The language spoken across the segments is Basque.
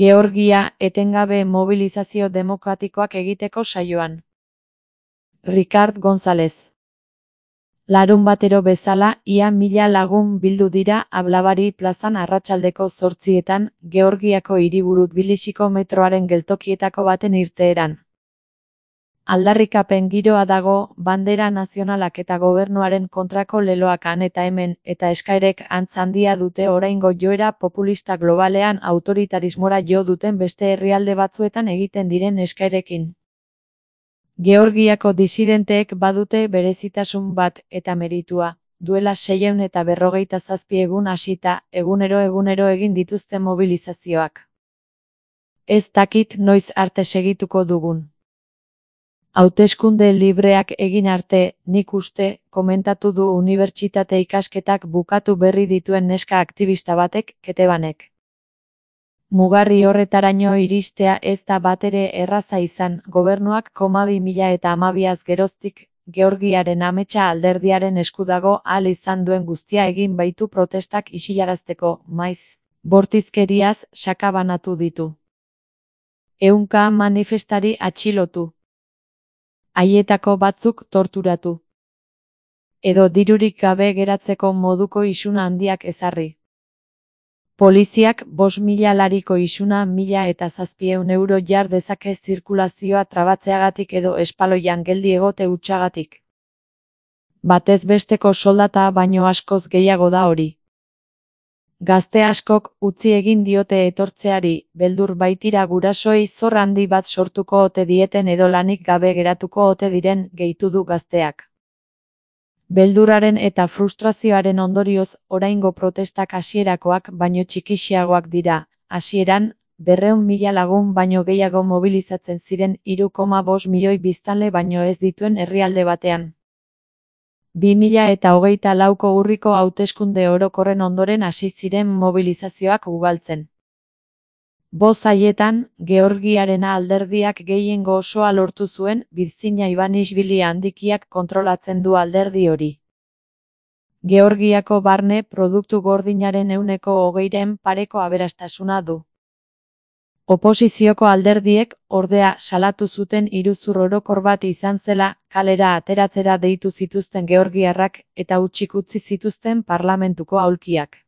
Georgia etengabe mobilizazio demokratikoak egiteko saioan. Ricard González. Larunbatero bezala, ia 1000 lagun bildu dira Ablabari plazan arratsaldeko 8etan, Georgiako hiriburu Tbilisiko metroaren geltokietako baten irteeran. Aldarrikapen giroa dago, bandera nazionalak eta gobernuaren kontrako leloak han eta hemen, eta eskaerek antz handia dute oraingo joera populista globalean autoritarismora jo duten beste herrialde batzuetan egiten diren eskaerekin. Georgiako disidenteek badute berezitasun bat eta meritua, duela 657 egun hasita, egunero egin dituzte mobilizazioak. Ez dakit noiz arte segituko dugun. Hauteskunde libreak egin arte, nik uste, komentatu du unibertsitate ikasketak bukatu berri dituen neska aktivista batek, Ketebanek. Mugarri horretaraino iristea ez da batere erraza izan, gobernuak 2012 geroztik, Georgiaren ametsa alderdiaren esku dago ahal izan duen guztia egin baitu protestak isilarazteko, maiz, bortizkeriaz sakabanatu ditu. 100 manifestari atxilotu. Haietako batzuk torturatu. Edo dirurik gabe geratzeko moduko isuna handiak ezarri. Poliziak 5.000 lariko isuna 1.700 euro jar dezake zirkulazioa trabatzeagatik edo espaloian geldi egote hutsagatik. Batez besteko soldata baino askoz gehiago da hori. Gazte askok utzi egin diote etortzeari, beldur baitira gurasoei zor handi bat sortuko ote dieten edo lanik gabe geratuko ote diren, gehitu du gazteak. Beldurraren eta frustrazioaren ondorioz, oraingo protestak hasierakoak baino txikixiagoak dira. Hasieran, 200.000 lagun baino gehiago mobilizatzen ziren 3,5 milioi biztanle baino ez dituen herrialde batean. 2024ko urriko hauteskunde orokorren ondoren hasi ziren mobilizazioak ugaltzen. 5 haietan, Georgiaren alderdiak gehiengo osoa lortu zuen, Bidzina Ivanishvili handikiak kontrolatzen du alderdi hori. Georgiako barne produktu gordinaren 20%ren pareko aberastasuna du. Oposizioko alderdiek, ordea, salatu zuten iruzur orokor bat izan zela, kalera ateratzera deitu zituzten georgiarrak, eta hutsik utzi zituzten parlamentuko aulkiak.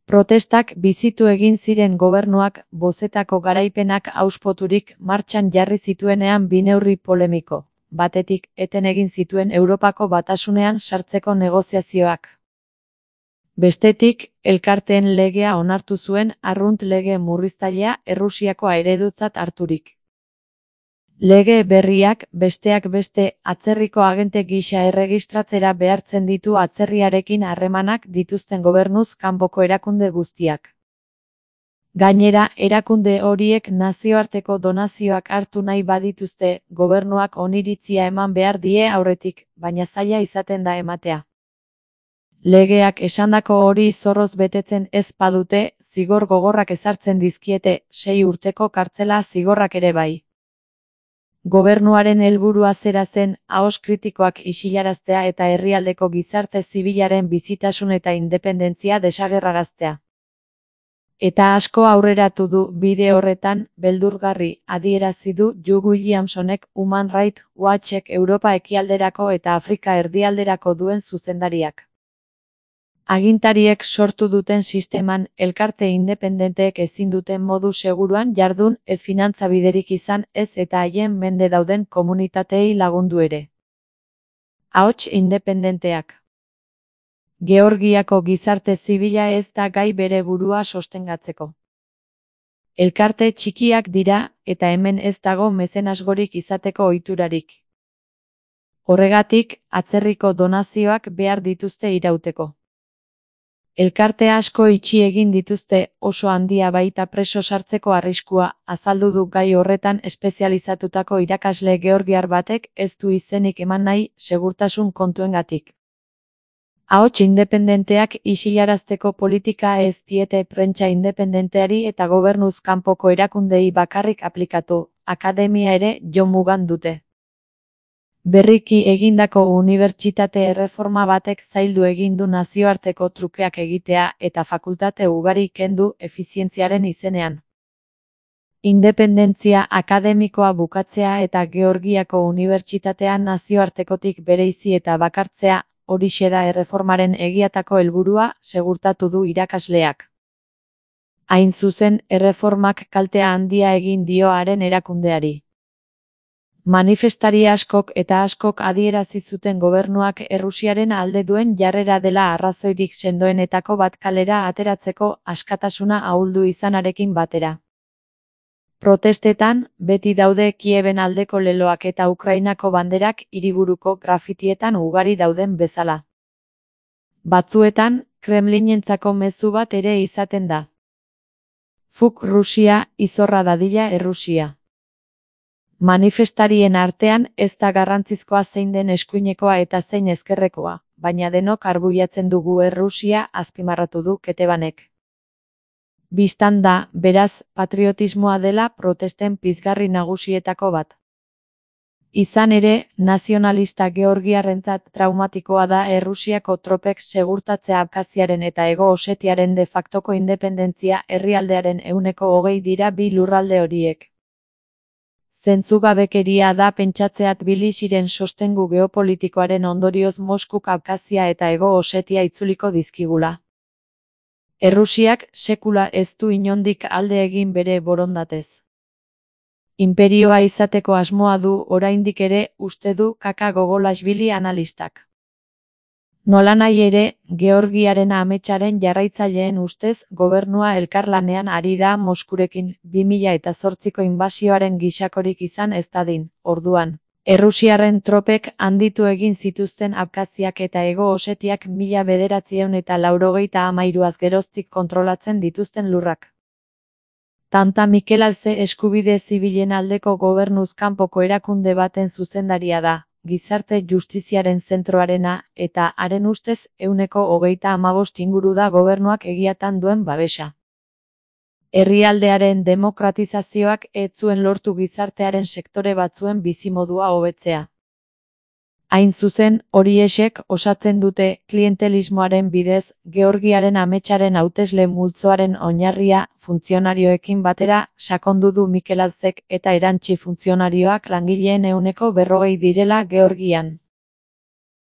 Protestak bizitu egin ziren gobernuak, bozetako garaipenak auspoturik martxan jarri zituenean bi neurri polemiko. Batetik, eten egin zituen Europako Batasunean sartzeko negoziazioak. Bestetik, elkarteen legea onartu zuen arrunt lege murriztailea Errusiakoa eredutzat harturik. Lege berriak, besteak beste, atzerriko agente gisa erregistratzera behartzen ditu atzerriarekin harremanak dituzten gobernuz kanpoko erakunde guztiak. Gainera, erakunde horiek nazioarteko donazioak hartu nahi badituzte, gobernuak oniritzia eman behar die aurretik, baina zaila izaten da ematea. Legeak esandako hori zorroz betetzen ez badute, zigor gogorrak ezartzen dizkiete, 6 urteko kartzela zigorrak ere bai. Gobernuaren helburua zera zen, ahoz kritikoak isilaraztea eta herrialdeko gizarte zibilaren bizitasun eta independentzia desagerraraztea. Eta asko aurreratu du bide horretan, beldurgarri, adierazi du Hugh Williamsonek Human Rights Watchek Europa ekialderako eta Afrika erdialderako duen zuzendariak. Agintariek sortu duten sisteman, elkarte independenteek ezin duten modu seguruan jardun, ez finantza biderik izan, ez eta haien mende dauden komunitateei lagundu ere. Ahots independenteak. Georgiako gizarte zibila ez da gai bere burua sostengatzeko. Elkarte txikiak dira, eta hemen ez dago mezenasgorik izateko ohiturarik. Horregatik, atzerriko donazioak behar dituzte irauteko. Elkarte asko itxi egin dituzte, oso handia baita preso sartzeko arriskua, azaldu du gai horretan espezializatutako irakasle georgiar batek ez du izenik eman nahi, segurtasun kontuengatik. Ahots independenteak isilarazteko politika ez diete prentsa independenteari eta gobernuz kanpoko erakundei bakarrik aplikatu, akademia ere jo mugan dute. Berriki egindako unibertsitate erreforma batek zaildu egin du nazioarteko trukeak egitea eta fakultate ugari kendu efizientziaren izenean. Independentzia akademikoa bukatzea eta Georgiako unibertsitatean nazioartekotik bereizi eta bakartzea, horixe da erreformaren egiatako helburua, segurtatu du irakasleak. Hain zuzen, erreformak kaltea handia egin dio haren erakundeari. Manifestari askok eta askok adierazi zuten gobernuak Errusiaren alde duen jarrera dela arrazoirik sendoenetako bat kalera ateratzeko askatasuna ahuldu izanarekin batera. Protestetan, beti daude Kieben aldeko leloak eta Ukrainako banderak hiriburuko grafitietan ugari dauden bezala. Batzuetan, Kremlinentzako mezu bat ere izaten da. Fuk Rusia, izorra dadila Errusia. Manifestarien artean ez da garrantzizkoa zein den eskuinekoa eta zein ezkerrekoa, baina denok arbuiatzen dugu Errusia, azpimarratu du Ketebanek. Bistan da, beraz, patriotismoa dela protesten pizgarri nagusietako bat. Izan ere, nazionalista georgiarrentzat traumatikoa da Errusiako tropek segurtatzea Abkaziaren eta Hego Osetiaren de factoko independentzia herrialdearen 20% dira bi lurralde horiek. Zentzugabekeria da pentsatzeat Tbilisiren sostengu geopolitikoaren ondorioz Moskuk Abkazia eta Hego Osetia itzuliko dizkigula. Errusiak sekula ez du inondik alde egin bere borondatez. Inperioa izateko asmoa du oraindik ere, uste du Kaka Gogolashvili analistak. Nolanahi ere, Georgiaren ametsaren jarraitzaileen ustez, gobernua elkarlanean ari da Moskurekin 2008ko inbasioaren gisakorik izan ez dadin, orduan. Errusiarren tropek handitu egin zituzten Abkaziak eta Hego Osetiak 1993 geroztik kontrolatzen dituzten lurrak. Tanta Mikel Alze eskubide zibilen aldeko gobernuz kanpoko erakunde baten zuzendaria da, gizarte justiziaren zentroarena, eta haren ustez 35% inguru da gobernuak egiatan duen babesa. Herrialdearen demokratizazioak ez zuen lortu gizartearen sektore batzuen bizimodua hobetzea. Hain zuzen, horiexek osatzen dute klientelismoaren bidez Georgiaren ametsaren hautesle multzoaren oinarria funtzionarioekin batera sakondu du Mikel Alzek eta erantsi funtzionarioak langileen 40% direla Georgian.